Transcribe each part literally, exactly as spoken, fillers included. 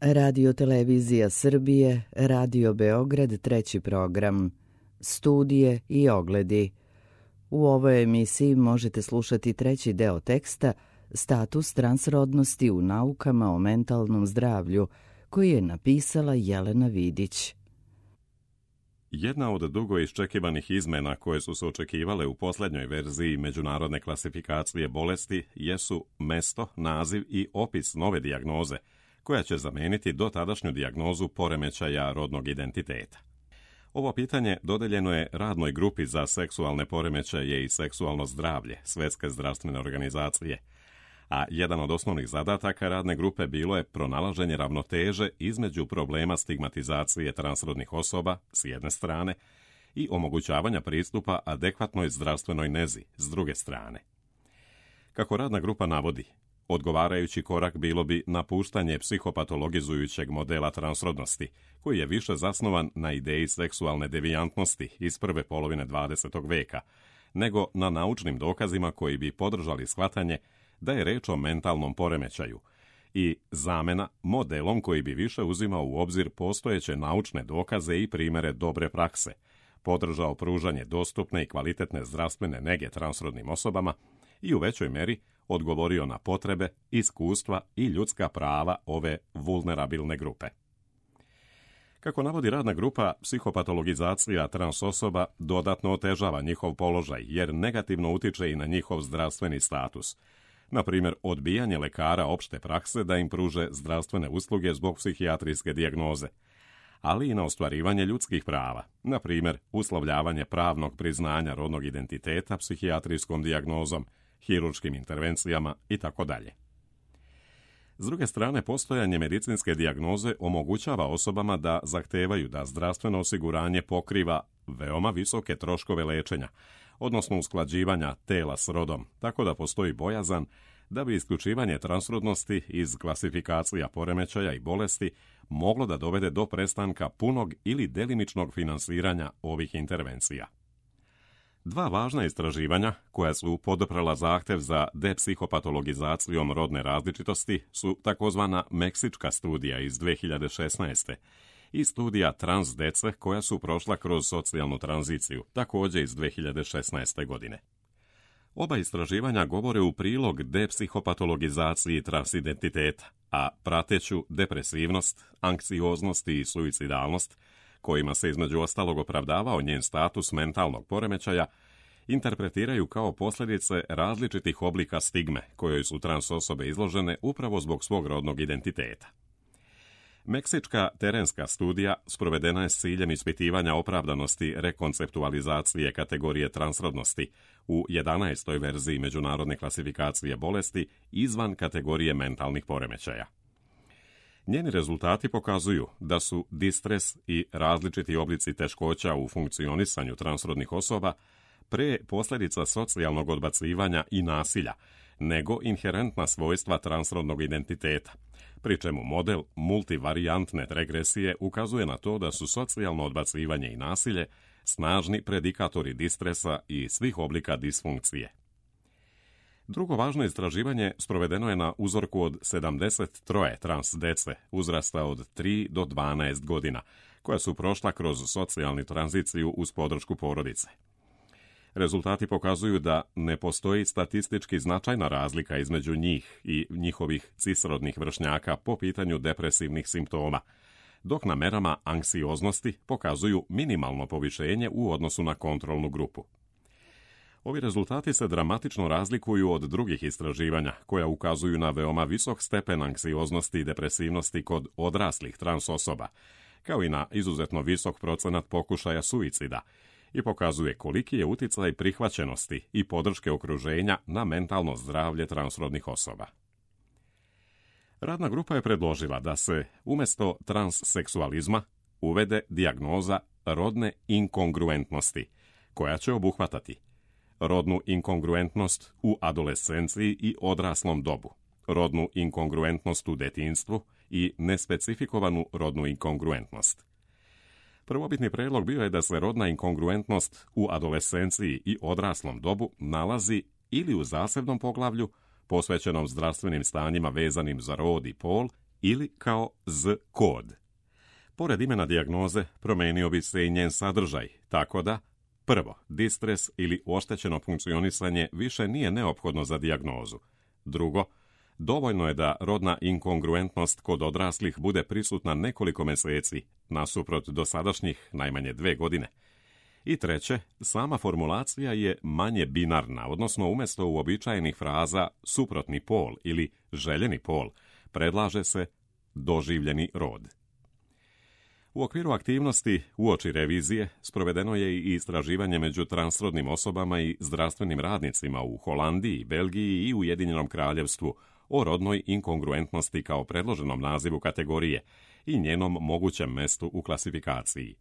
Radio Televizija Srbije, Radio Beograd, treći program, studije i ogledi. U ovoj emisiji možete slušati treći deo teksta Status transrodnosti u naukama o mentalnom zdravlju, koji je napisala Jelena Vidić. Jedna od dugo iščekivanih izmena koje su se očekivale u posljednjoj verziji međunarodne klasifikacije bolesti jesu mesto, naziv i opis nove dijagnoze, koja će zameniti dotadašnju dijagnozu poremećaja rodnog identiteta. Ovo pitanje dodeljeno je radnoj grupi za seksualne poremećaje i seksualno zdravlje Svjetske zdravstvene organizacije, a jedan od osnovnih zadataka radne grupe bilo je pronalaženje ravnoteže između problema stigmatizacije transrodnih osoba s jedne strane i omogućavanja pristupa adekvatnoj zdravstvenoj nezi s druge strane. Kako radna grupa navodi, odgovarajući korak bilo bi napuštanje psihopatologizujućeg modela transrodnosti, koji je više zasnovan na ideji seksualne devijantnosti iz prve polovine dvadesetog veka, nego na naučnim dokazima koji bi podržali shvatanje da je reč o mentalnom poremećaju i zamena modelom koji bi više uzimao u obzir postojeće naučne dokaze i primere dobre prakse, podržao pružanje dostupne i kvalitetne zdravstvene nege transrodnim osobama i u većoj meri odgovorio na potrebe, iskustva i ljudska prava ove vulnerabilne grupe. Kako navodi radna grupa, psihopatologizacija trans osoba dodatno otežava njihov položaj jer negativno utiče i na njihov zdravstveni status. Na primjer, odbijanje lekara opšte prakse da im pruže zdravstvene usluge zbog psihijatrijske dijagnoze, ali i na ostvarivanje ljudskih prava, na primjer, uslovljavanje pravnog priznanja rodnog identiteta psihijatrijskom dijagnozom, hirurškim intervencijama itd. S druge strane, postojanje medicinske dijagnoze omogućava osobama da zahtevaju da zdravstveno osiguranje pokriva veoma visoke troškove lečenja, odnosno usklađivanja tela s rodom, tako da postoji bojazan da bi isključivanje transrodnosti iz klasifikacija poremećaja i bolesti moglo da dovede do prestanka punog ili delimičnog finansiranja ovih intervencija. Dva važna istraživanja, koja su poduprla zahtev za depsihopatologizacijom rodne različitosti, su takozvana Meksička studija iz dve hiljade šesnaeste i studija trans dece koja su prošla kroz socijalnu tranziciju, također iz dve hiljade šesnaeste. godine. Oba istraživanja govore u prilog depsihopatologizaciji transidentiteta, a prateću depresivnost, anksioznost i suicidalnost, kojima se između ostalog opravdavao njen status mentalnog poremećaja, interpretiraju kao posljedice različitih oblika stigme kojoj su trans osobe izložene upravo zbog svog rodnog identiteta. Meksička terenska studija sprovedena je s ciljem ispitivanja opravdanosti rekonceptualizacije kategorije transrodnosti u jedanaestoj verziji međunarodne klasifikacije bolesti izvan kategorije mentalnih poremećaja. Njeni rezultati pokazuju da su distres i različiti oblici teškoća u funkcionisanju transrodnih osoba pre posljedica socijalnog odbacivanja i nasilja, nego inherentna svojstva transrodnog identiteta, pri čemu model multivarijantne regresije ukazuje na to da su socijalno odbacivanje i nasilje snažni predikatori distresa i svih oblika disfunkcije. Drugo važno istraživanje sprovedeno je na uzorku od sedamdeset tri trans dece uzrasta od tri do dvanaest godina, koja su prošla kroz socijalnu tranziciju uz podršku porodice. Rezultati pokazuju da ne postoji statistički značajna razlika između njih i njihovih cisrodnih vršnjaka po pitanju depresivnih simptoma, dok na merama anksioznosti pokazuju minimalno povišenje u odnosu na kontrolnu grupu. Ovi rezultati se dramatično razlikuju od drugih istraživanja koja ukazuju na veoma visok stepen anksioznosti i depresivnosti kod odraslih trans osoba, kao i na izuzetno visok procenat pokušaja suicida, i pokazuje koliki je uticaj prihvaćenosti i podrške okruženja na mentalno zdravlje transrodnih osoba. Radna grupa je predložila da se umjesto transseksualizma uvede dijagnoza rodne inkongruentnosti, koja će obuhvatati rodnu inkongruentnost u adolescenciji i odraslom dobu, rodnu inkongruentnost u detinjstvu i nespecifikovanu rodnu inkongruentnost. Prvobitni predlog bio je da se rodna inkongruentnost u adolescenciji i odraslom dobu nalazi ili u zasebnom poglavlju, posvećenom zdravstvenim stanjima vezanim za rod i pol, ili kao Z-kod. Pored imena dijagnoze promenio bi se i njen sadržaj, tako da prvo, distres ili oštećeno funkcionisanje više nije neophodno za dijagnozu. Drugo, dovoljno je da rodna inkongruentnost kod odraslih bude prisutna nekoliko mjeseci, nasuprot dosadašnjih najmanje dve godine. I treće, sama formulacija je manje binarna, odnosno umjesto uobičajenih fraza suprotni pol ili željeni pol, predlaže se doživljeni rod. U okviru aktivnosti uoči revizije sprovedeno je i istraživanje među transrodnim osobama i zdravstvenim radnicima u Holandiji, Belgiji i Ujedinjenom Kraljevstvu o rodnoj inkongruentnosti kao predloženom nazivu kategorije i njenom mogućem mestu u klasifikaciji.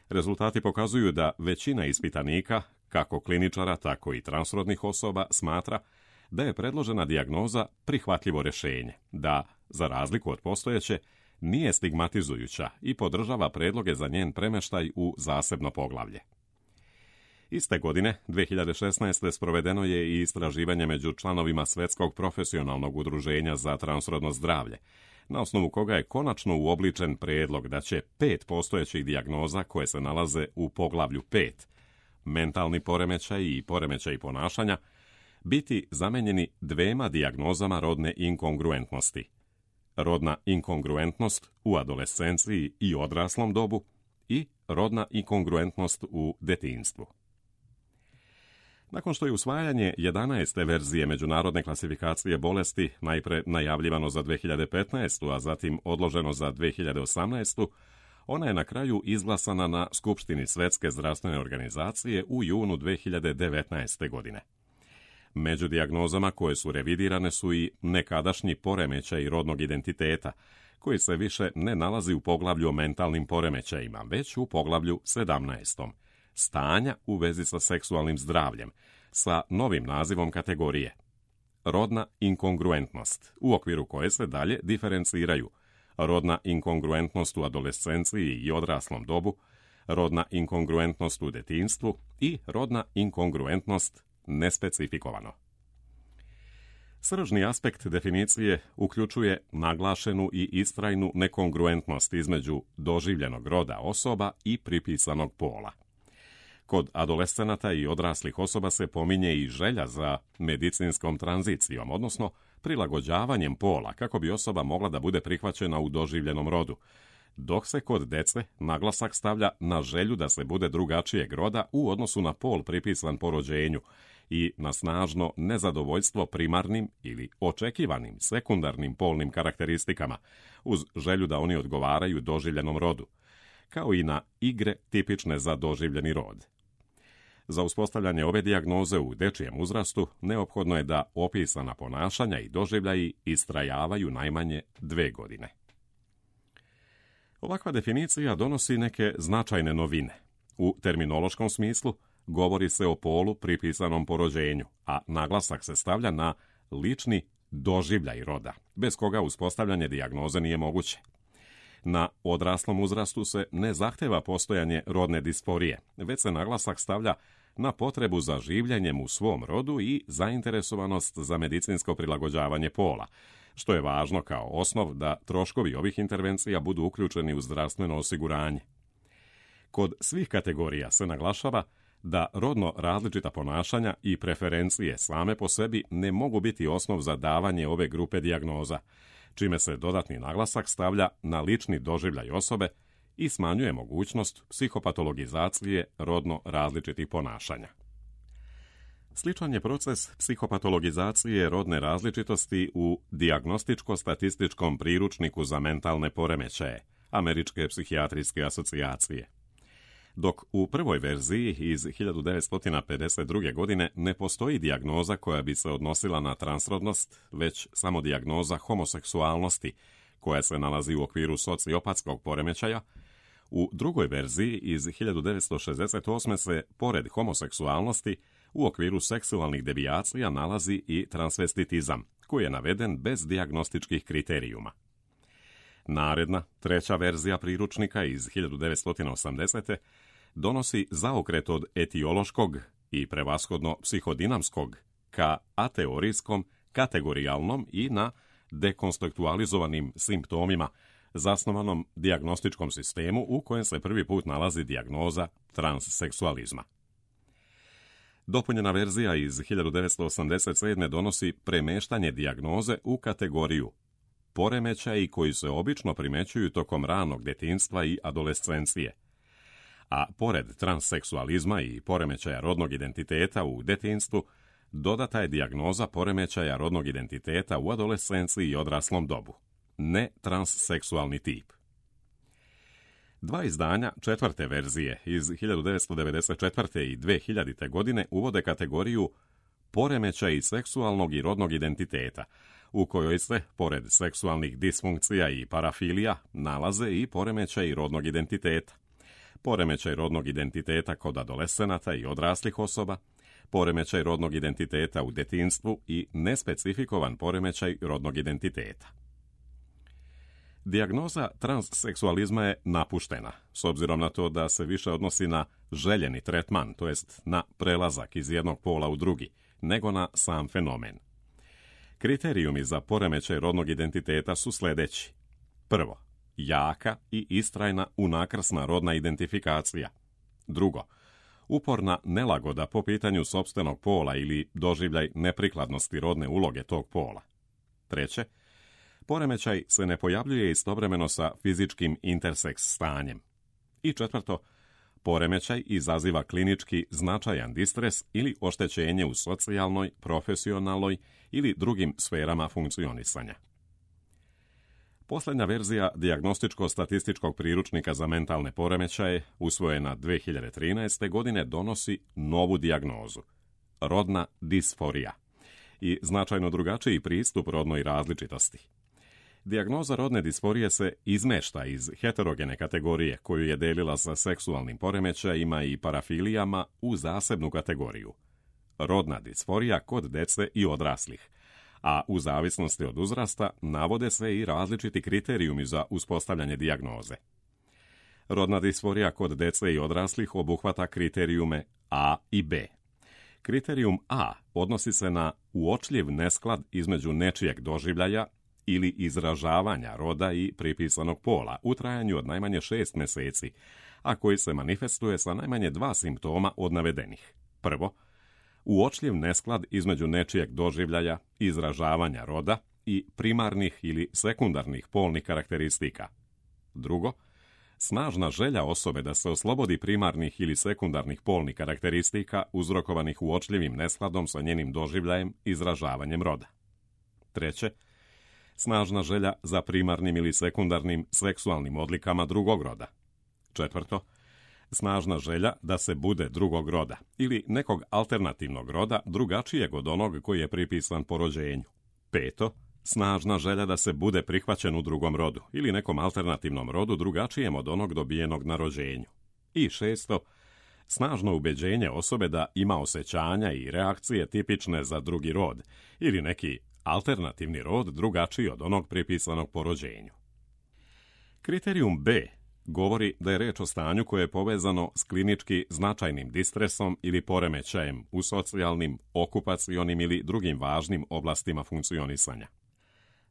Rezultati pokazuju da većina ispitanika, kako kliničara, tako i transrodnih osoba, smatra da je predložena dijagnoza prihvatljivo rješenje, da, za razliku od postojeće, nije stigmatizujuća i podržava predloge za njen premještaj u zasebno poglavlje. Iste godine, dve hiljade šesnaeste. sprovedeno je i istraživanje među članovima Svjetskog profesionalnog udruženja za transrodno zdravlje, na osnovu koga je konačno uobličen predlog da će pet postojećih dijagnoza koje se nalaze u poglavlju pet, mentalni poremećaj i poremećaj ponašanja, biti zamenjeni dvema dijagnozama rodne inkongruentnosti. Rodna inkongruentnost u adolescenciji i odraslom dobu i rodna inkongruentnost u detinjstvu. Nakon što je usvajanje jedanaeste verzije međunarodne klasifikacije bolesti najpre najavljivano za dve hiljade petnaestu. a zatim odloženo za dve hiljade osamnaestu. ona je na kraju izglasana na Skupštini Svjetske zdravstvene organizacije u junu dve hiljade devetnaeste. godine. Među dijagnozama koje su revidirane su i nekadašnji poremećaj rodnog identiteta, koji se više ne nalazi u poglavlju o mentalnim poremećajima, već u poglavlju sedamnaestom. Stanja u vezi sa seksualnim zdravljem, sa novim nazivom kategorije. Rodna inkongruentnost, u okviru koje se dalje diferenciraju rodna inkongruentnost u adolescenciji i odraslom dobu, rodna inkongruentnost u detinjstvu i rodna inkongruentnost nespecifikovano. Sržni aspekt definicije uključuje naglašenu i istrajnu nekongruentnost između doživljenog roda osoba i pripisanog pola. Kod adolescenata i odraslih osoba se pominje i želja za medicinskom tranzicijom, odnosno prilagođavanjem pola kako bi osoba mogla da bude prihvaćena u doživljenom rodu, dok se kod dece naglasak stavlja na želju da se bude drugačijeg roda u odnosu na pol pripisan po rođenju i na snažno nezadovoljstvo primarnim ili očekivanim sekundarnim polnim karakteristikama, uz želju da oni odgovaraju doživljenom rodu, kao i na igre tipične za doživljeni rod. Za uspostavljanje ove dijagnoze u dečijem uzrastu neophodno je da opisana ponašanja i doživljaji istrajavaju najmanje dve godine. Ovakva definicija donosi neke značajne novine. U terminološkom smislu govori se o polu pripisanom po rođenju, a naglasak se stavlja na lični doživljaj roda, bez koga uspostavljanje dijagnoze nije moguće. Na odraslom uzrastu se ne zahteva postojanje rodne disforije, već se naglasak stavlja na potrebu za življenjem u svom rodu i zainteresovanost za medicinsko prilagođavanje pola, što je važno kao osnov da troškovi ovih intervencija budu uključeni u zdravstveno osiguranje. Kod svih kategorija se naglašava da rodno različita ponašanja i preferencije same po sebi ne mogu biti osnov za davanje ove grupe dijagnoza, čime se dodatni naglasak stavlja na lični doživljaj osobe i smanjuje mogućnost psihopatologizacije rodno različitih ponašanja. Sličan je proces psihopatologizacije rodne različitosti u dijagnostičko-statističkom priručniku za mentalne poremećaje Američke psihijatrijske asocijacije. Dok u prvoj verziji iz hiljadu devetsto pedeset druge. godine ne postoji dijagnoza koja bi se odnosila na transrodnost, već samo dijagnoza homoseksualnosti, koja se nalazi u okviru sociopatskog poremećaja, u drugoj verziji iz hiljadu devetsto šezdeset osme. se, pored homoseksualnosti, u okviru seksualnih devijacija nalazi i transvestitizam, koji je naveden bez dijagnostičkih kriterijuma. Naredna, treća verzija priručnika iz hiljadu devetsto osamdesete. donosi zaokret od etiološkog i prevashodno psihodinamskog ka ateorijskom, kategorijalnom i na dekonstruktualizovanim simptomima, zasnovanom dijagnostičkom sistemu u kojem se prvi put nalazi dijagnoza transseksualizma. Dopunjena verzija iz hiljadu devetsto osamdeset sedme donosi premeštanje dijagnoze u kategoriju poremećaji koji se obično primećuju tokom ranog djetinjstva i adolescencije. A pored transseksualizma i poremećaja rodnog identiteta u djetinjstvu, dodata je dijagnoza poremećaja rodnog identiteta u adolescenciji i odraslom dobu. Ne transseksualni tip. Dva izdanja četvrte verzije iz hiljadu devetsto devedeset četvrte i dve hiljadite. godine uvode kategoriju poremećaji seksualnog i rodnog identiteta, u kojoj se, pored seksualnih disfunkcija i parafilija, nalaze i poremećaji rodnog identiteta. Poremećaj rodnog identiteta kod adolescenata i odraslih osoba, poremećaj rodnog identiteta u djetinjstvu i nespecifikovan poremećaj rodnog identiteta. Dijagnoza transseksualizma je napuštena, s obzirom na to da se više odnosi na željeni tretman, to jest na prelazak iz jednog pola u drugi, nego na sam fenomen. Kriterijumi za poremećaj rodnog identiteta su sljedeći. Prvo, jaka i istrajna unakrsna rodna identifikacija. Drugo, uporna nelagoda po pitanju sopstvenog pola ili doživljaj neprikladnosti rodne uloge tog pola. Treće, poremećaj se ne pojavljuje istovremeno sa fizičkim interseks stanjem. I četvrto, poremećaj izaziva klinički značajan distres ili oštećenje u socijalnoj, profesionalnoj ili drugim sferama funkcionisanja. Posljednja verzija dijagnostičko-statističkog priručnika za mentalne poremećaje, usvojena dve hiljade trinaeste. godine, donosi novu dijagnozu – rodna disforija i značajno drugačiji pristup rodnoj različitosti. Dijagnoza rodne disforije se izmešta iz heterogene kategorije koju je delila sa seksualnim poremećajima i parafilijama u zasebnu kategoriju – rodna disforija kod dece i odraslih, a u zavisnosti od uzrasta navode se i različiti kriterijumi za uspostavljanje dijagnoze. Rodna disforija kod dece i odraslih obuhvata kriterijume A i B. Kriterijum A odnosi se na uočljiv nesklad između nečijeg doživljaja ili izražavanja roda i pripisanog pola u trajanju od najmanje šest mjeseci, a koji se manifestuje sa najmanje dva simptoma od navedenih. Prvo, uočljiv nesklad između nečijeg doživljaja, izražavanja roda i primarnih ili sekundarnih polnih karakteristika. Drugo, snažna želja osobe da se oslobodi primarnih ili sekundarnih polnih karakteristika uzrokovanih uočljivim neskladom sa njenim doživljajem, izražavanjem roda. Treće, snažna želja za primarnim ili sekundarnim seksualnim odlikama drugog roda. Četvrto, snažna želja da se bude drugog roda ili nekog alternativnog roda drugačijeg od onog koji je pripisan po rođenju. Peto, snažna želja da se bude prihvaćen u drugom rodu ili nekom alternativnom rodu drugačijem od onog dobijenog na rođenju. I šesto, snažno ubeđenje osobe da ima osjećanja i reakcije tipične za drugi rod ili neki alternativni rod drugačiji od onog pripisanog po rođenju. Kriterijum B govori da je reč o stanju koje je povezano s klinički značajnim distresom ili poremećajem u socijalnim, okupacionim ili drugim važnim oblastima funkcionisanja.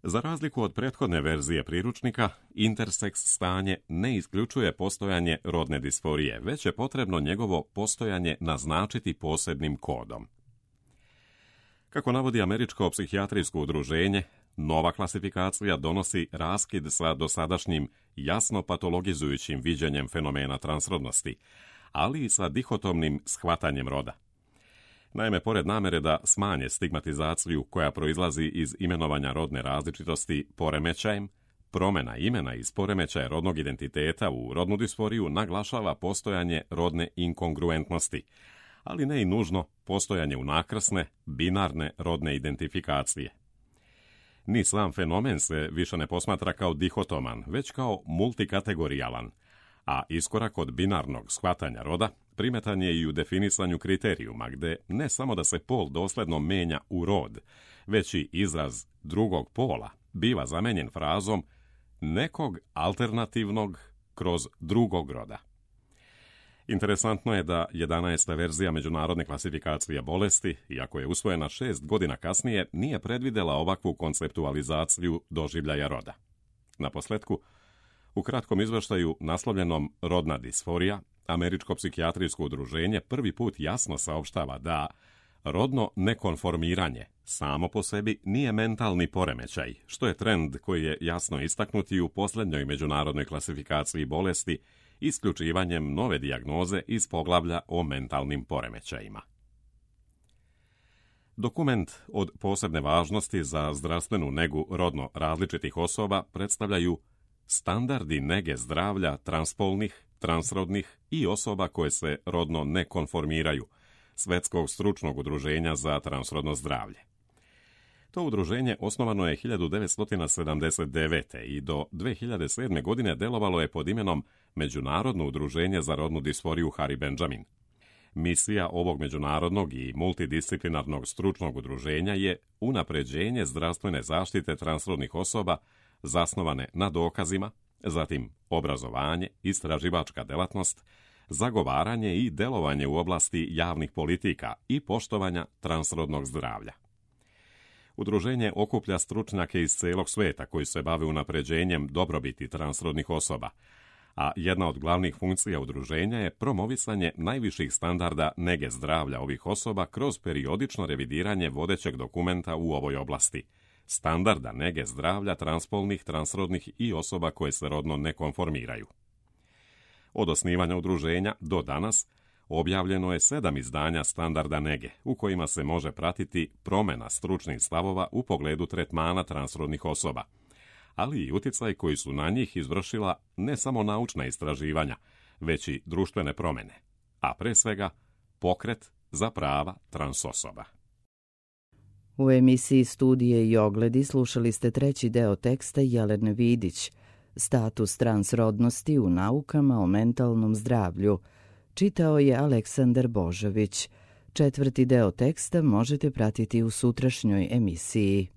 Za razliku od prethodne verzije priručnika, interseks stanje ne isključuje postojanje rodne disforije, već je potrebno njegovo postojanje naznačiti posebnim kodom. Kako navodi Američko psihijatrijsko udruženje, nova klasifikacija donosi raskid sa dosadašnjim jasno patologizujućim viđenjem fenomena transrodnosti, ali i sa dihotomnim shvatanjem roda. Naime, pored namere da smanje stigmatizaciju koja proizlazi iz imenovanja rodne različitosti poremećajem, promjena imena iz poremećaja rodnog identiteta u rodnu disforiju naglašava postojanje rodne inkongruentnosti, ali ne i nužno postojanje unakrsne, binarne rodne identifikacije. Ni sam fenomen se više ne posmatra kao dihotoman, već kao multikategorijalan, a iskorak od binarnog shvatanja roda primetan je i u definisanju kriterijuma, gde ne samo da se pol dosledno menja u rod, već i izraz drugog pola biva zamenjen frazom nekog alternativnog kroz drugog roda. Interesantno je da jedanaesta verzija međunarodne klasifikacije bolesti, iako je usvojena šest godina kasnije, nije predvidjela ovakvu konceptualizaciju doživljaja roda. Naposljetku, u kratkom izvještaju naslovljenom Rodna disforija, Američko psihijatrijsko udruženje prvi put jasno saopštava da rodno nekonformiranje samo po sebi nije mentalni poremećaj, što je trend koji je jasno istaknut i u posljednjoj međunarodnoj klasifikaciji bolesti isključivanjem nove dijagnoze iz poglavlja o mentalnim poremećajima. Dokument od posebne važnosti za zdravstvenu negu rodno različitih osoba predstavljaju standardi nege zdravlja transpolnih, transrodnih i osoba koje se rodno ne konformiraju, Svetskog stručnog udruženja za transrodno zdravlje. To udruženje osnovano je hiljadu devetsto sedamdeset devete. i do dve hiljade sedme. godine delovalo je pod imenom Međunarodno udruženje za rodnu disforiju Harry Benjamin. Misija ovog međunarodnog i multidisciplinarnog stručnog udruženja je unapređenje zdravstvene zaštite transrodnih osoba zasnovane na dokazima, zatim obrazovanje, istraživačka delatnost, zagovaranje i delovanje u oblasti javnih politika i poštovanja transrodnog zdravlja. Udruženje okuplja stručnjake iz celog sveta koji se bave unapređenjem dobrobiti transrodnih osoba, a jedna od glavnih funkcija udruženja je promovisanje najviših standarda nege zdravlja ovih osoba kroz periodično revidiranje vodećeg dokumenta u ovoj oblasti, standarda nege zdravlja transpolnih, transrodnih i osoba koje se rodno ne konformiraju. Od osnivanja udruženja do danas objavljeno je sedam izdanja standarda nege, u kojima se može pratiti promjena stručnih stavova u pogledu tretmana transrodnih osoba, ali i utjecaj koji su na njih izvršila ne samo naučna istraživanja, već i društvene promjene, a pre svega pokret za prava trans osoba. U emisiji Studije i ogledi slušali ste treći deo teksta Jelene Vidić, Status transrodnosti u naukama o mentalnom zdravlju. Čitao je Aleksandar Božović. Četvrti deo teksta možete pratiti u sutrašnjoj emisiji.